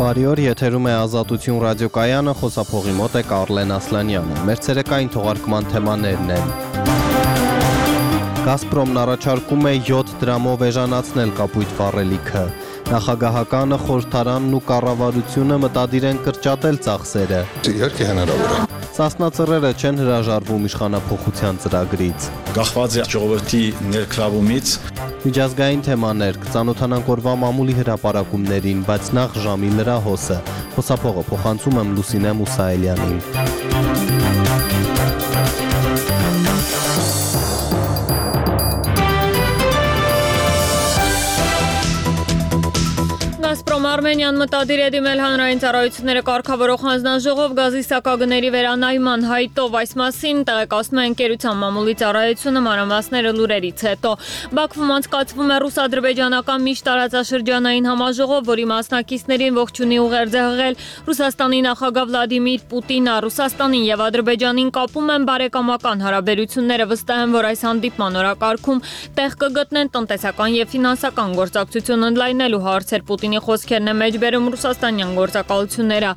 Բարի օր, եթերում է Ազատություն ռադիոկայանը, խոսափողի մոտ է Կարլեն Ասլանյանը։ Մեր ցերեկային թողարկման թեմաներն են. Գազպրոմն առաջարկում է 7 դրամով էժանացնել կապույտ վառելիքը։ Նախագահականը, խորհրդարանն ու կառավարությունը մտադիր են կրճատել ծախսերը։ Իհարկե հնարավոր է։ Սասնա ծռերը չեն հրաժարվում իշխանափոխության ծրագրից։ Գաղված է ժողովրդի ներգրավումից։ Միջազգային թեմաներ, կծանոթանանք օրվա մամուլի հրապարակումներին, բայց նախ ժամի լրահոսը։ Խոսափողը փոխանցում եմ Լուսինե Մուսայելյանին։ Գազպրոմ Արմենիան մտադիր է դիմել հանրային ծառայությունները կարգավորող հանձնաժողով գազի սակագների վերանայման հայտով, այս մասին տեղեկացնում է ընկերության մամուլի ծառայությունը, մանրամասները լուրերից հետո։ Բաքվում անցկացվում է ռուս-ադրբեջանական միջտարածաշրջանային համաժողով, որի մասնակիցներին ողջունի ուղերձ է հղել Ռուսաստանի նախագահ Վլադիմիր Պուտինը։ Ռուսաստանին եւ Ադրբեջանին կապում են բարեկամական հարաբերությունները, վստահ են, որ այս հանդիպման օրակարգում տեղ կգտնեն տնտեսական եւ ֆինանսական գործակցություն ընդլայնելու հարցեր։ Պուտինի խոսքերն է մեջբերում ռուսաստանյան գործակալությունները։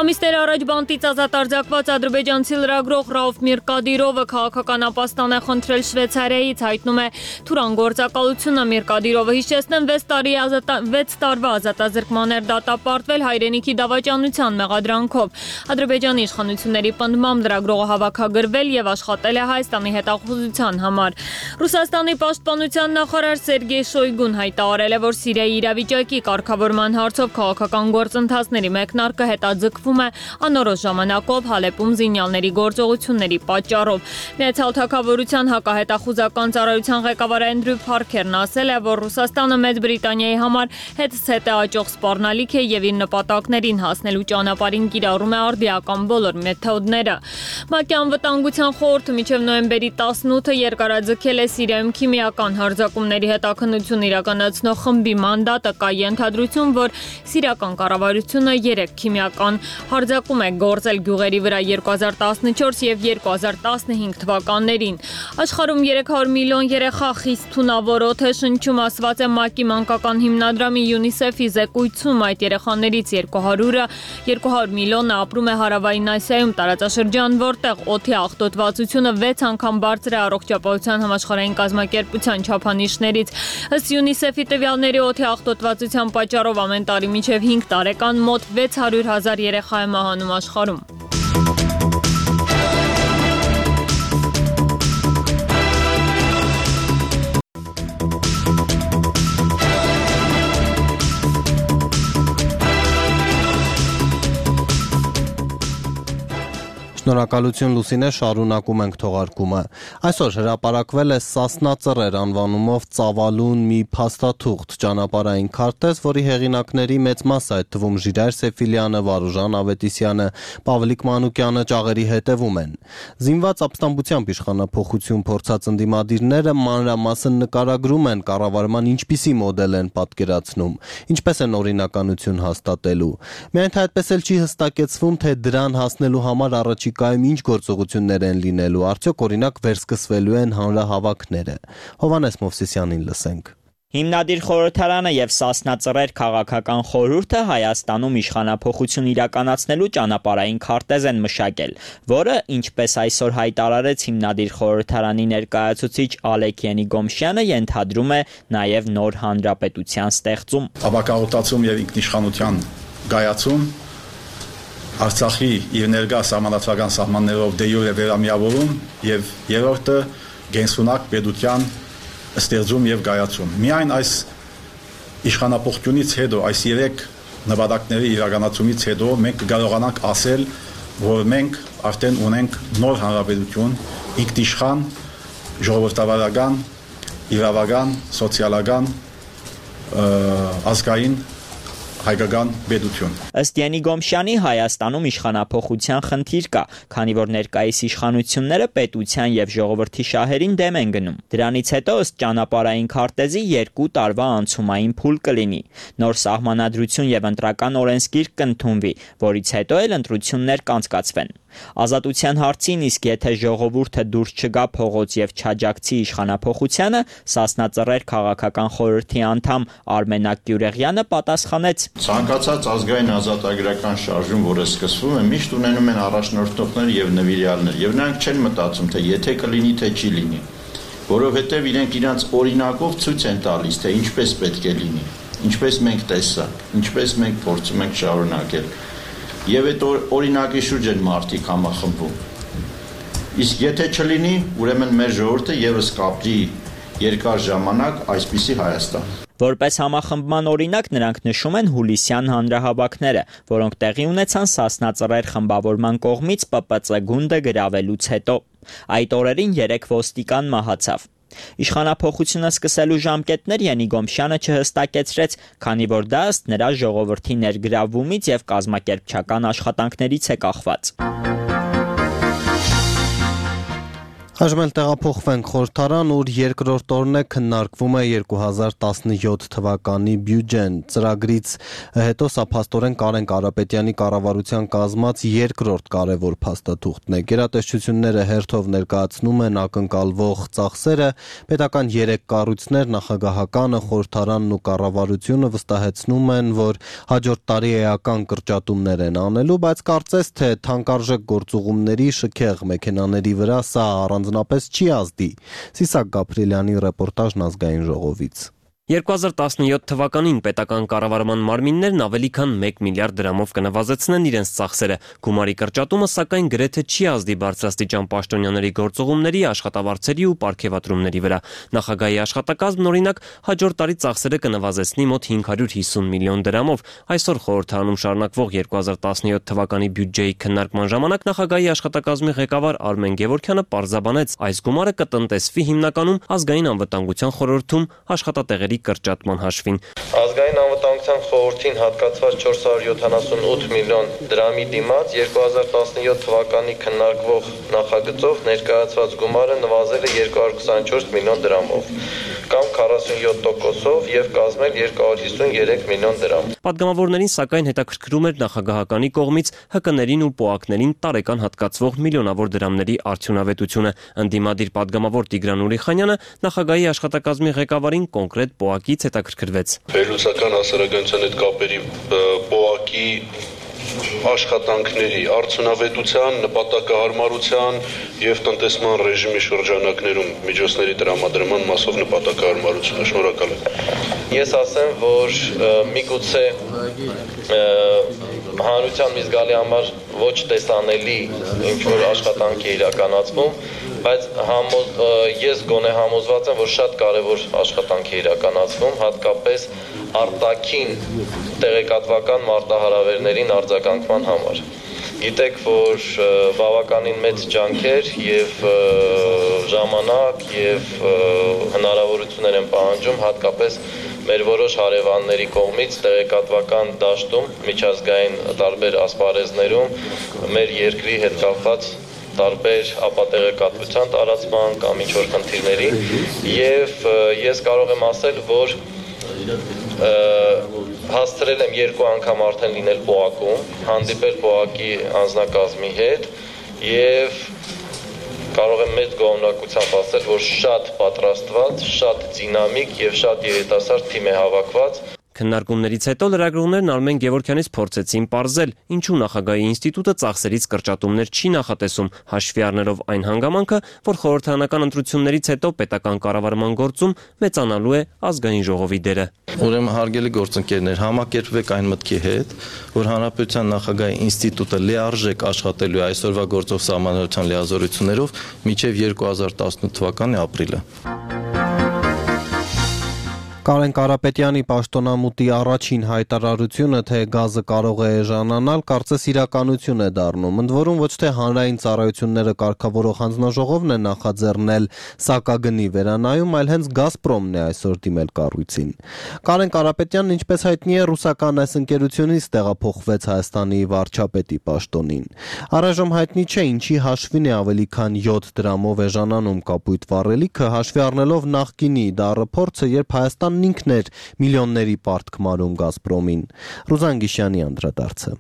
Ամիսներ առաջ բանտից ազատ արձակված ադրբեջանցի լրագրող Ռաուֆ Միրկադիրովը քաղաքական ապաստան է խնդրել Շվեյցարիայից, հայտնում է Թուրան գործակալությունը։ Միրկադիրովը հիշեցնեմ 6 տարվա ազատազրկման էր դատապարտվել հայրենիքի դավաճանության մեղադրանքով։ Ադրբեջանի իշխանությունների պնդմամբ լրագրողը հավաքագրվել եւ աշխատել է Հայաստանի հետախուզության համար։ Ռուսաստանի պաշտպանության նախարար Սերգեյ Շոյգուն հայտարարել է, որ Սիրիայի իրավիճակի կարգավորման հարցով քաղաքական գործընթացների մեկնարկը հետաձգվում է անորոշ ժամանակով Հալեպում զինյալների գործողությունների պատճառով։ Միացյալ Թագավորության հակահետախուզական ծառայության ղեկավար Էնդրյու Փարքերն ասել է, որ Ռուսաստանը Մեծ Բրիտանիայի համար հետզհետե աճող սպառնալիք է եւ իր նպատակներին հասնելու ճանապարհին կիրառում է արդիական բոլոր մեթոդները։ ՄԱԿ-ի անվտանգության խորհուրդը մինչև նոյեմբերի 18-ը երկարաձգել է Սիրիայում քիմիական հարձակումների հետաքննություն իրականացնող խմբի մանդատը։ Կա ենթադրություն, որ սիրիական կառավարությունը 3 քիմիական հարձակում է գործել գյուղերի վրա 2014 եւ 2015 թվականներին։ Աշխարհում 300 միլիոն երեխա խիստ թունավոր օդ է շնչում, ասված է ՄԱԿ-ի մանկական հիմնադրամի UNICEF-ի զեկույցում։ Այդ երեխաներից 200 միլիոնը ապրում է Հարավային Ասիայում, տարածաշրջան, որտեղ օդի աղտոտվածությունը 6 անգամ բարձր է առողջապահության համաշխարհային կազմակերպության չափանիշներից։ Ըստ UNICEF-ի տվյալների օդի աղտոտվածության պատճառով ամեն տարի մինչև 5 տարեկան մոտ 600,000 երեխա է մահանում աշխարհում։ Շնորհակալություն Լուսինե, շարունակում ենք թողարկումը։ Այսօր հրապարակվել է Սասնա ծռեր անվանումով ծավալուն մի փաստաթուղթ, ճանապարհային քարտեզ, որի հեղինակների մեծ մասը, այդ թվում Ժիրայր Սեֆիլյանը, Վարուժան Ավետիսյանը, Պավլիկ Մանուկյանը ճաղերի հետևում են։ Զինված ապստամբությամբ իշխանափոխություն փորձած ընդդիմադիրները մանրամասն նկարագրում են կառավարման ինչպիսի մոդել են պատկերացնում, ինչպես են օրինականություն հաստատելու։ Միայն թե այդպես էլ չի հստակեցվում, թե դրան հասնելու համար առաջիկայում ինչ գործողություններ են լինելու, արդյոք օրինակ վերսկսվելու են հանրահավաքները։ Հովհաննես Մովսիսյանին լսենք։ Հիմնադիր խորհրդարանը եւ Սասնա ծռեր քաղաքական խորհուրդը Հայաստանում իշխանափոխություն իրականացնելու ճանապարհային քարտեզ են մշակել, որը, ինչպես այսօր հայտարարեց հիմնադիր խորհրդարանի ներկայացուցիչ Ալեք Ենիգոմշյանը, ենթադրում է նաեւ նոր հանրապետության ստեղծում, ապակաղուտացում եւ ինքնիշխանության գայացում, Արցախի իր ներկա սահմանադրական սահմաններով դե յուրե վերամիավորում եւ երրորդը գենսունակ պետության ստեղծում եւ գայացում։ Միայն այս իշխանապողությունից հետո, այս 3 նպատակների իրականացումից հետո մենք կարողանանք ասել, որ մենք արդեն ունենք նոր հանրապետություն, ինքնիշխան, ժողովրդավարական, իրավական, սոցիալական, ազգային հայկական պետություն։ Ըստ Ենիգոմշյանի Հայաստանում իշխանափոխության խնդիր կա, քանի որ ներկայիս իշխանությունները պետության եւ ժողովրդի շահերին դեմ են գնում։ Դրանից հետո ըստ ճանապարհային քարտեզի 2 տարվա անցումային փուլ կլինի։ Նոր սահմանադրություն եւ ընտրական օրենսգիր կընդունվի, որից հետո էլ ընտրություններ կանցկացվեն։ Ազատության հարցին, իսկ եթե ժողովուրդը դուրս չգա փողոց եւ չաջակցի իշխանափոխությանը, Սասնա Ծռեր քաղաքական խորհրդի անդամ Արմենակ Գյուրեղյանը պատասխանեց. Ցանկացած ազգային ազատագրական շարժում, որը սկսվում է, միշտ ունենում են առաջնորդողներ եւ նվիրյալներ, եւ նրանք չեն մտածում, թե եթե կլինի, թե չի լինի, որովհետեւ իրենք իրանց օրինակով ցույց են տալիս, թե ինչպես պետք է լինի, ինչպես մենք տեսանք, ինչպես մենք փորձում ենք շարունակել։ Եվ այդ օրինակի շուրջ են մարդիկ համախմբում։ Իսկ եթե չլինի, ուրեմն մեր ժողովուրդը եւս կապրի երկար ժամանակ այսպիսի Հայաստան։ Որպես համախմբման օրինակ նրանք նշում են հուլիսյան հանրահավաքները, որոնք տեղի ունեցան Սասնա Ծռեր խմբավորման կողմից ՊՊՑ գունդը գրավելուց հետո։ Այդ օրերին 3 ոստիկան մահացավ։ Իշխանափոխությունը սկսելու ժամկետներ Յանի Գոմշյանը չհստակեցրեց, քանի որ դա ըստ նրա ժողովրդի ներգրավումից եւ կազմակերպչական աշխատանքներից է կախված։ Այժմ էլ տեղափոխվենք խորհրդարան, ուր երկրորդ օրն է քննարկվում է 2017 թվականի բյուջեն։ Ծրագրից հետո սա փաստորեն Կարեն Կարապետյանի կառավարության կազմած երկրորդ կարևոր փաստաթուղթն է։ Գերատեսչությունները հերթով ներկայացնում են ակնկալվող ծախսերը, պետական 3 կառույցներ, նախագահականը, խորհրդարանն ու կառավարությունը վստահեցնում են, որ հաջորդ տարի էական կրճատումներ են անելու, բայց կարծես թե թանկարժեք գործուղումների շքեղ մեքենաների վրա սա առանձնապես չի ազդի։ Սիսակ Գաբրիելյանի ռեպորտաժն Ազգային ժողովից։ 2017 թվականին պետական կառավարման մարմիններն ավելի քան 1 միլիարդ դրամով կնվազեցնեն իրենց ծախսերը։ Գումարի կրճատումը սակայն գրեթե չի ազդի բարձրաստիճան պաշտոնյաների գործուղումների, աշխատավարձերի ու պարգևատրումների վրա։ Նախագահի աշխատակազմն օրինակ հաջորդ տարի ծախսերը կնվազեցնի մոտ 550 միլիոն դրամով։ Այսօր խորհրդարանում շարունակվող 2017 թվականի բյուջեի քննարկման ժամանակ նախագահի աշխատակազմի ղեկավար Արմեն Գևորգյանը պարզաբանեց, այս գումարը կտնտեսվի հիմնականում ազգային անվտանգության խորհրդում աշխատատեղերի կրճատման հաշվին։ Ազգային անվտանգության խորհրդին հատկացված 478 միլիոն դրամի դիմաց 2017 թվականի քննարկվող նախագծով ներկայացված գումարը նվազել է 224 միլիոն դրամով, կամ 47%-ով եւ կազմել 253 միլիոն դրամ։ Պատգամավորներին սակայն հետաքրքրում էր նախագահականի կողմից ՀԿ-ներին ու ՊՕԱԿ-ներին տարեկան հատկացվող միլիոնավոր դրամների արդյունավետությունը։ Ընդդիմադիր պատգամավոր Տիգրան Ուրիխանյանը նախագահի աշխատակազմի ղեկավարին կոնկրետ ՊՕԱԿ-ից հետաքրքրվեց։ Վերլուծական հասարակայնության հետ կապերի ՊՕԱԿ-ի աշխատանքների արդյունավետության, նպատակահարմարության եւ տնտեսման ռեժիմի շրջանակներում միջոցների տրամադրման մասով նպատակահարմարությունը։ Շնորհակալ եմ։ Ես ասեմ, որ միգուցե հանրության մի զգալի համար ոչ տեսանելի ինչ-որ աշխատանք է իրականացվում, բայց ես գոնե համոզված եմ, որ շատ կարևոր աշխատանք է իրականացվում, հատկապես արտաքին տեղեկատվական մարտահրավերներին արձագանքման համար։ Գիտեք, որ բավականին մեծ ջանքեր եւ ժամանակ եւ հնարավորություններ են պահանջում հատկապես մեր որոշ հարևանների կողմից տեղեկատվական դաշտում, միջազգային տարբեր ասպարեզներում մեր երկրի հետ կապված տարբեր ապատեղեկատվության տարածման կամ ինչ-որ խնդիրների եւ ես կարող եմ ասել, որ հասցրել եմ 2 անգամ արդեն լինել ՊՕԱԿ-ում, հանդիպել ՊՕԱԿ-ի անձնակազմի հետ եւ կարող եմ մեծ գոհունակությամբ ասել, որ շատ պատրաստված, շատ դինամիկ եւ շատ երիտասարդ թիմ է հավաքված։ Քննարկումներից հետո լրագրողներն Արմեն Գևորգյանից փորձեցին պարզել, ինչու նախագահի ինստիտուտը ծախսերից կրճատումներ չի նախատեսում, հաշվի առնելով այն հանգամանքը, որ խորհրդարանական ընտրություններից հետո պետական կառավարման գործում մեծանալու է ազգային ժողովի դերը։ Ուրեմն հարգելի գործընկերներ, համակերպվեք այն մտքի հետ, որ Հանրապետության նախագահի ինստիտուտը լիարժեք աշխատելու է այսօրվա գործող սահմանադրության լիազորություններով մինչև 2018 թվականի ապրիլը։ Կարեն Կարապետյանի պաշտոնամուտի առաջին հայտարարությունը, թե գազը կարող է էժանանալ, կարծես իրականություն է դառնում։ Ընդ որում ոչ թե հանրային ծառայությունները կարգավորող հանձնաժողովն է նախաձեռնել սակագնի վերանայում, այլ հենց Գազպրոմն է այսօր դիմել կառույցին։ Կարեն Կարապետյանն, ինչպես հայտնի է, ռուսական այս ընկերությունից տեղափոխվեց Հայաստանի վարչապետի պաշտոնին։ Առայժմ հայտնի չէ ինչի հաշվին է ավելի քան 7 դրամով էժանանում կապույտ վառելիքը, հաշվի առնելով նախկինի դառը փորձը, երբ Հայաստանն ինքն էր միլիոնների պարտք մարում Գազպրոմին։ Ռուզան Գիշյանի անդրադարձը։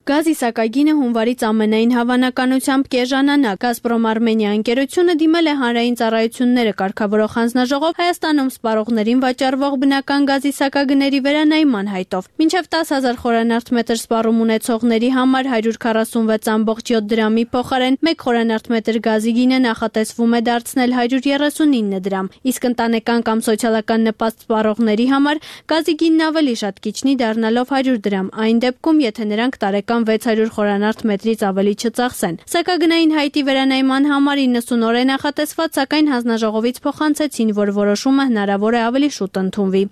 Գազի սակագինը հունվարից ամենայն հավանականությամբ կեժանանա։ Գազպրոմ Արմենիա ընկերությունը դիմել է հանրային ծառայությունները կարգավորող հանձնաժողով Հայաստանում սպառողներին վաճառվող բնական գազի սակագների վերանայման հայտով։ Մինչև 10,000 խորանարդ մետր սպառում ունեցողների համար 146.7 դրամի փոխարեն 1 խորանարդ մետր գազի գինը նախատեսվում է դարձնել 139 դրամ, իսկ ընտանեկան կամ սոցիալական նպաստ սպառողների համար գազի գինն ավելի շատ կիջնի դառնալով 100 դրամ, այն դեպքում, եթե նրանք տարեկան 600 խորանարդ մետրից ավելի չծախսեն։ Սակագնային հայտի վերանայման համար 90 օր է նախատեսված, սակայն հանձնաժողովից փոխանցեցին, որ որոշումը հնարավոր է ավելի շուտ ընդունվի։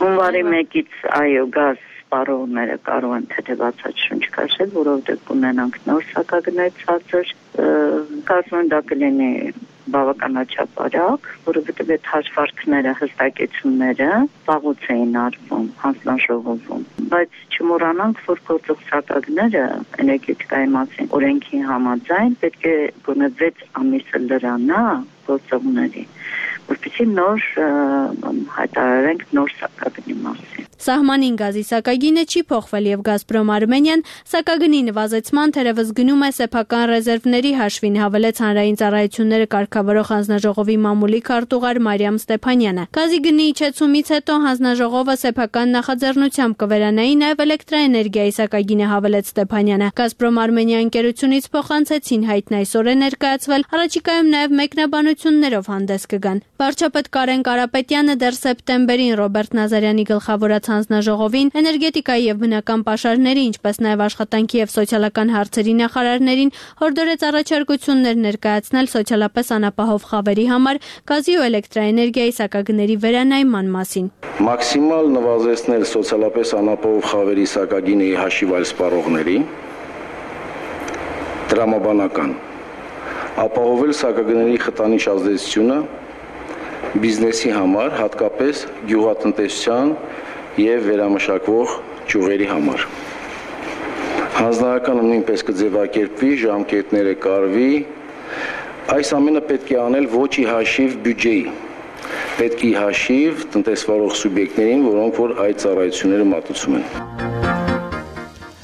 Հունվարի 1-ից այո, գազ սպառողները կարող են թեթևացած շունչ քաշել, որովհետև կունենանք նոր սակագներ ցածր, կարծում եմ դա կլինի բավականաչափ արագ, որովհետև այդ հաշվարկները, հստակեցումները վաղուց էին արվում հանձնաժողովում, բայց չմոռանանք, որ գործող սակագները էներգետիկայի մասին օրենքի համաձայն պետք է գոնե 6 ամիսը լրանա գործողների, որպեսզի նոր հայտարարենք նոր սակագնի մասին։ Սահմանին գազի սակագինը չի փոխվել եւ Գազպրոմ Արմենիան սակագնի նվազեցման թերևս գնում է սեփական ռեզերվների հաշվին, հավելեց հանրային ծառայությունները կարգավորող հանձնաժողովի մամուլի քարտուղար Մարիամ Ստեփանյանը։ Գազի գնի իջեցումից հետո հանձնաժողովը սեփական նախաձեռնությամբ կվերանայի նաեւ էլեկտրաէներգիայի սակագինը, հավելեց Ստեփանյանը։ Գազպրոմ Արմենիա ընկերությունից փոխանցեցին հայտն այսօր է ներկայացվել, առաջիկայում նաեւ մեկնաբանություններով հանդես կգան։ Վարչապետ Կարեն Կարապետյանը դեռ սեպտեմբերին Ռոբերտ Նազարյանի գլխավորած հանձնաժողովին էներգետիկայի եւ բնական պաշարների, ինչպես նաեւ աշխատանքի եւ սոցիալական հարցերի նախարարներին հորդորեց առաջարկություններ ներկայացնել սոցիալապես անապահով խավերի համար գազի ու էլեկտրաէներգիայի սակագների վերանայման մասին։ Մաքսիմալ նվազեցնել սոցիալապես անապահով խավերի սակագինի հաշիվ այլ սպառողների, տրամաբանական, ապահովել սակագների խտանիշ ազդեցությունը բիզնեսի համար, հատկապես գյուղատնտեսության եւ վերամշակվող ճյուղերի համար։ Հանձնարարականը նույնպես կձևակերպվի, ժամկետները կարվի, այս ամենը պետք է անել ոչ ի հաշիվ բյուջեի, պետք է հաշիվ տնտեսվարող սուբյեկտներին, որոնք որ այդ ծառայությունները մատուցում են։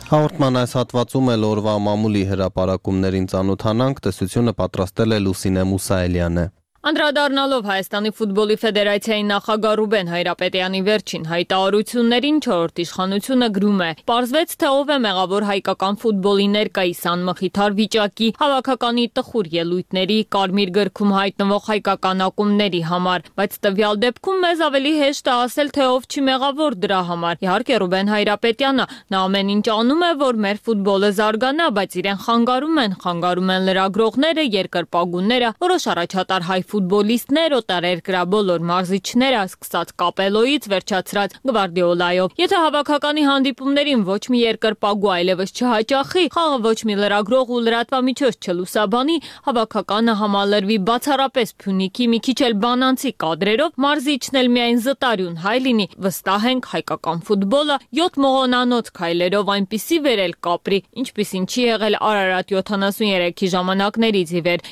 Հաղորդման այս հատվածում էլ օրվա մամուլի հրապարակումներին ծանոթանանք, տեսությունը պատրաստել է Լուսինե Մուսայելյանը։ Անդրադառնալով Հայաստանի ֆուտբոլի ֆեդերացիայի նախագահ Ռուբեն Հայրապետյանի վերջին հայտարարություններին, 4-րդ իշխանությունը գրում է. «Պարզվեց, թե ով է մեղավոր հայկական ֆուտբոլի ներկայիս անմխիթար վիճակի, հավաքականի տխուր ելույթների, կարմիր գրքում հայտնվող հայկական ակումբների համար, բայց տվյալ դեպքում մեզ ավելի հեշտ է ասել, թե ով չի մեղավոր դրա համար։ Իհարկե Ռուբեն Հայրապետյանը, նա ամեն ինչ անում է, որ մեր ֆուտբոլը զարգանա, բայց իրեն խանգարում են լրագրողները, երկրպագուները, որոշ առաջատար հայ ֆուտբոլիստներ, օտարերկրյա բոլոր մարզիչները, սկսած Կապելոյից վերջացրած Գվարդիոլայով։ Եթե հավաքականի հանդիպումներին ոչ մի երկրպագու այլևս չհաճախի, խաղը ոչ մի լրագրող ու լրատվամիջոց չլուսաբանի, հավաքականը համալրվի բացառապես Փյունիկի մի քիչ էլ բանանցի կադրերով, մարզիչն էլ միայն զտարյուն հայ լինի, վստահ ենք հայկական ֆուտբոլը 7 մողոնանոց քայլերով այնպիսի վերել կապրի, ինչպիսին չի եղել Արարատ 73-ի ժամանակներից ի վեր։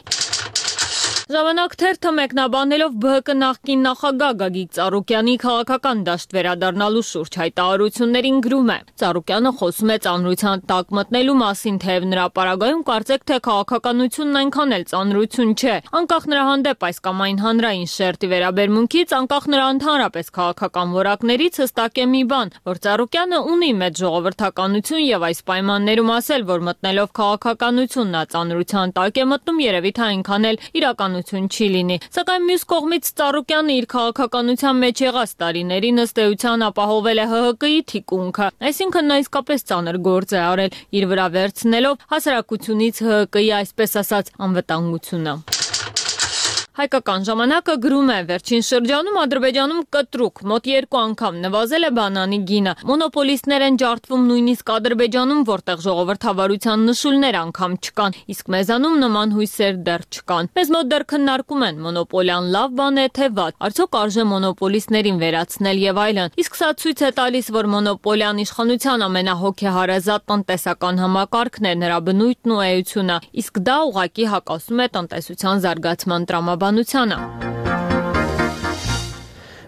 Ժամանակ թերթը մեկնաբանելով ԲՀԿ նախկին նախագահ Գագիկ Ծառուկյանի քաղաքական դաշտ վերադառնալու շուրջ հայտարարություններին գրում է. Ծառուկյանը խոսում է ծանրության տակ մտնելու մասին, թեև նրա պարագայում կարծեք, թե քաղաքականությունն այնքան էլ ծանրություն չէ։ Անկախ նրա հանդեպ այս կամ այն հանրային շերտի վերաբերմունքից, անկախ նրա ընդհանրապես քաղաքական որակներից հստակ է մի բան, որ Ծառուկյանը ունի մեծ ժողովրդականություն եւ այս պայմաններում ասել, որ մտնելով քաղաքականություն նա ծանրության տակ է մտնում, երևի թե այնքան էլ իրական չի լինի, սակայն մյուս կողմից Ծառուկյանը իր քաղաքականության մեջ եղած տարիներին ըստ էության ապահովել է ՀՀԿ-ի թիկունքը, այսինքն նա իսկապես ծանր գործ է արել, իր վրա վերցնելով հասարակությունից ՀՀԿ-ի այսպես ասած անվտանգությունը։ Հայկական ժամանակը գրում է. վերջին շրջանում Ադրբեջանում կտրուկ մոտ 2 անգամ նվազել է բանանի գինը։ Մոնոպոլիստներ են ջարդվում նույնիսկ Ադրբեջանում, որտեղ ժողովրդավարության նշույլներ անգամ չկան, իսկ մեզանում նման հույսեր դեռ չկան։ Մեզ մոտ դեռ քննարկում են մոնոպոլիան լավ բան է թե վատ, արդյոք արժե մոնոպոլիստներին վերացնել եւ այլն։ Իսկ սա ցույց է տալիս, որ մոնոպոլիան իշխանության ամենահոգեհարազատ տնտեսական համակարգն է, նրա բնույթն ու էությունը, իսկ դա ուղղակի հակասում է տնտեսության զարգացման տրամաբանությանը։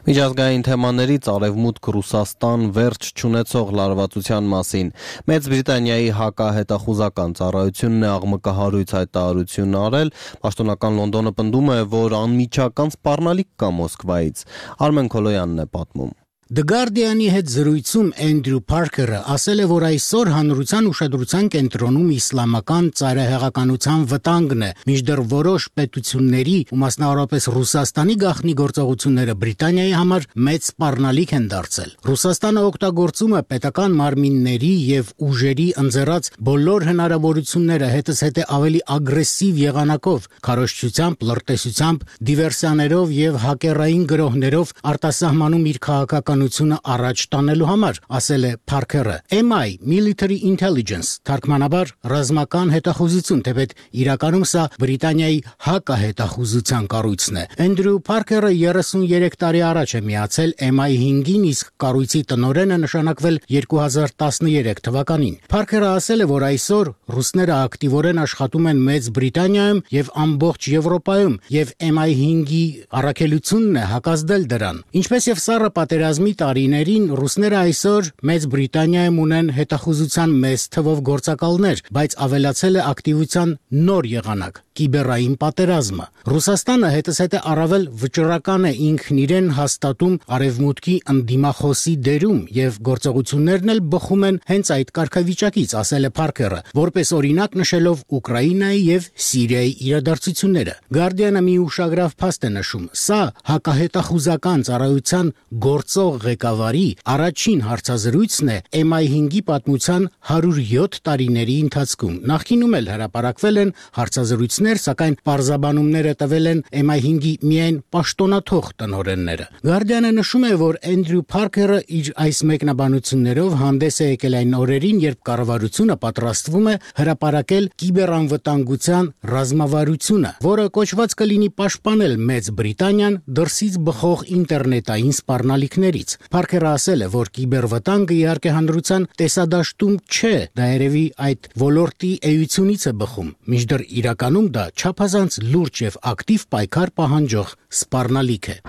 Միջազգային թեմաներից Արևմուտք Ռուսաստան վերջ չունեցող լարվածության մասին Մեծ Բրիտանիայի հակահետախուզական ծառայությունն է աղմկահարույց հայտարարություն արել, պաշտոնական Լոնդոնը պնդում է, որ անմիջական սպառնալիք կա Մոսկվայից։ Արմեն Քոլոյանն է պատմում։ The Guardian-ի հետ զրույցում Էնդրյու Փարքերը ասել է, որ այսօր հանրության ուշադրության կենտրոնում իսլամական ծայրահեղականության վտանգն է, մինչդեռ որոշ պետությունների ու մասնավորապես Ռուսաստանի գաղտնի գործողությունները Բրիտանիայի համար մեծ սպառնալիք են դարձել։ Ռուսաստանը օգտագործում է պետական մարմինների եւ ուժերի ընձեռած բոլոր հնարավորությունները հետզհետե ավելի ագրեսիվ եղանակով, քարոզչությամբ, լրտեսությամբ, դիվերսիաներով եւ հակերային գրոհներով արտասահմանում իր քաղաքական առաջ տանելու համար, ասել է Փարքերը։ MI Military Intelligence թարգմանաբար ռազմական հետախուզություն, թեպետ իրականում սա Բրիտանիայի հակահետախուզության կառույցն է։ Էնդրյու Փարքերը 33 տարի առաջ է միացել MI5-ին, իսկ կառույցի տնօրենը նշանակվել 2013 թվականին։ Փարքերը ասել է, որ այսօր ռուսները ակտիվորեն աշխատում են Մեծ Բրիտանիայում եւ ամբողջ Եվրոպայում եւ MI5-ի առաքելությունն է հակազդել դրան։ Ինչպես եւ սառը պատերազմի տարիներին ռուսները այսօր Մեծ Բրիտանիայում ունեն հետախուզության մեծ թվով գործակալներ, բայց ավելացել է ակտիվության նոր եղանակ՝ կիբերային պատերազմը։ Ռուսաստանը հետզհետե առավել վճռական է ինքն իրեն հաստատում արևմուտքի ընդդիմախոսի դերում եւ գործողություններն էլ բխում են հենց այդ կարգավիճակից, ասել է Փարքերը, որպես օրինակ նշելով Ուկրաինայի եւ Սիրիայի իրադարձությունները։ Guardian-ը մի ուշագրավ փաստ է նշում. սա հակահետախուզական ծառայության գործող ղեկավարի առաջին հարցազրույցն է MI5-ի պատմության 107 տարիների ընթացքում։ Նախկինում էլ հրապարակվել են հարցազրույցներ, սակայն պարզաբանումները տվել են MI5-ի միայն պաշտոնաթող տնօրենները։ Guardian-ը նշում է, որ Էնդրյու Փարքերը իր այս մեկնաբանություններով հանդես է եկել այն օրերին, երբ կառավարությունը պատրաստվում է հրապարակել կիբերանվտանգության ռազմավարությունը, որը կոչված կլինի պաշտպանել Մեծ Բրիտանիան դրսից բխող ինտերնետային սպառնալիքներից։ Փարքերը ասել է, որ կիբերվտանգը իհարկե հանրության տեսադաշտում չէ, դա երևի այդ ոլորտի էությունից է բխում, մինչդեռ իրականում դա չափազանց լուրջ եւ ակտիվ պայքար պահանջող սպառնալիք է։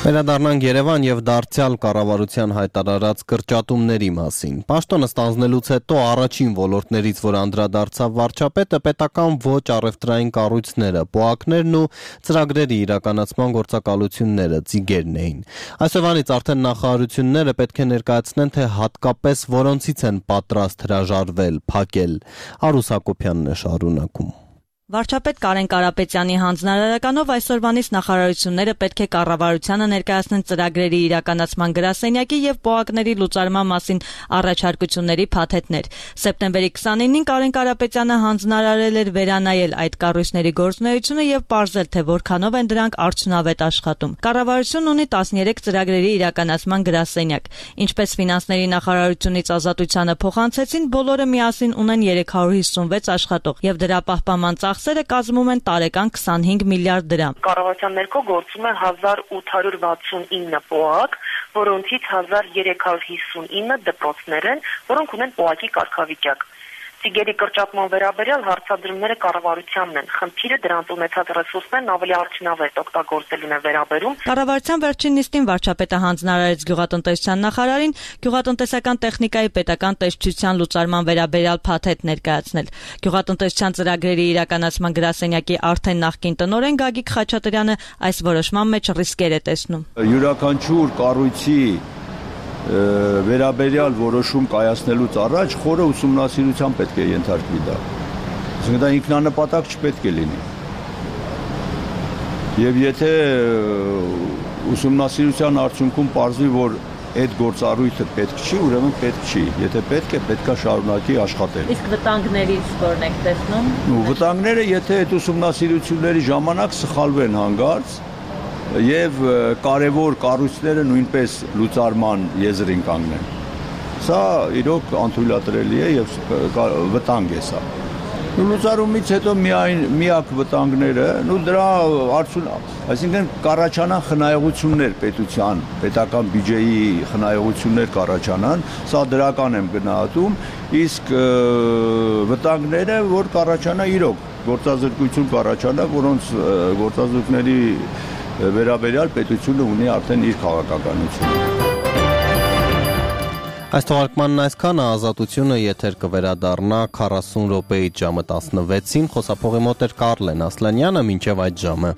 Վերադառնանք Երևան եւ դարձյալ կառավարության հայտարարած կրճատումների մասին։ Պաշտոնը ստանձնելուց հետո առաջին ոլորտներից, որ անդրադարձավ վարչապետը, պետական ոչ առևտրային կառույցները, պոակներն ու ծրագրերի իրականացման գործակալությունները, ծիգերն էին։ Այսօրվանից արդեն նախարարությունները պետք է ներկայացնեն, թե հատկապես որոնցից են պատրաստ հրաժարվել, փակել։ Արուս Հակոբյանն է շարունակում։ Վարչապետ Կարեն Կարապետյանի հանձնարարականով այսօրվանից նախարարությունները պետք է կառավարությանը ներկայացնեն ծրագրերի իրականացման գրասենյակի եւ պոակների լուծարման մասին առաջարկությունների փաթեթներ։ Սեպտեմբերի 29-ին Կարեն Կարապետյանը հանձնարարել էր վերանայել այդ կառույցների գործունեությունը եւ պարզել, թե որքանով են դրանք արդյունավետ աշխատում։ Կառավարությունն ունի 13 ծրագրերի իրականացման գրասենյակ։ Ինչպես ֆինանսների նախարարությունից ազատությանը փոխանցեցին, բոլորը միասին ունեն 356 աշխատող եւ դրա պահպանման ծախսերը կազմում են տարեկան 25 միլիարդ դրամ։ Կառավարության ներքո գործում է 1869 պոակ, որոնցից 1359 դպրոցներ են, որոնք ունեն պոակի կարգավիճակ։ Ծիգերի կրճատման վերաբերյալ հարցադրումները կառավարությանն են։ Խնդիրը դրանց ունեցած ռեսուրսներն ավելի արդյունավետ օգտագործելուն է վերաբերում։ Կառավարության վերջին նիստին վարչապետը հանձնարարեց գյուղատնտեսության նախարարին գյուղատնտեսական տեխնիկայի պետական տեսչության լուծարման վերաբերյալ փաթեթ ներկայացնել։ Գյուղատնտեսության ծրագրերի իրականացման գրասենյակի արդեն նախկին տնօրեն Գագիկ Խաչատրյանը այս որոշման մեջ ռիսկեր է տեսնում։ Յուրաքանչյուր կառույցի վերաբերյալ որոշում կայացնելուց առաջ խորը ուսումնասիրության պետք է ենթարկվի դա։ Այսինքն դա ինքնանպատակ չպետք է լինի։ Եվ եթե ուսումնասիրության արդյունքում պարզվի, որ այդ գործառույթը պետք չի, ուրեմն պետք չի։ Եթե պետք է, պետք է շարունակի աշխատել։ Իսկ վտանգներից որն եք տեսնում։ Վտանգները, եթե այդ ուսումնասիրությունների ժամանակ սխալվեն հանգարց, եւ կարևոր կառույցները նույնպես լուծարման եզրին կանգնեն։ Սա իրոք անթույլատրելի է եւ վտանգ է սա։ Լուծարումից հետո միակ վտանգները, դրա այսինքն կառաջանան խնայողություններ պետության, պետական բյուջեի խնայողություններ կառաջանան, սա դրական եմ գնահատում, իսկ վտանգները, որ կառաջանա իրոք գործազրկություն կառաջանա, որոնց գործազուրկների վերաբերյալ պետությունը ունի արդեն իր քաղաքականությունը։ Այս թողարկմանն այսքանը, Ազատությունը եթեր կվերադառնա 40 րոպեից ժամը 16-ին, խոսափողի մոտ էր Կարլեն Ասլանյանը, մինչև այդ ժամը։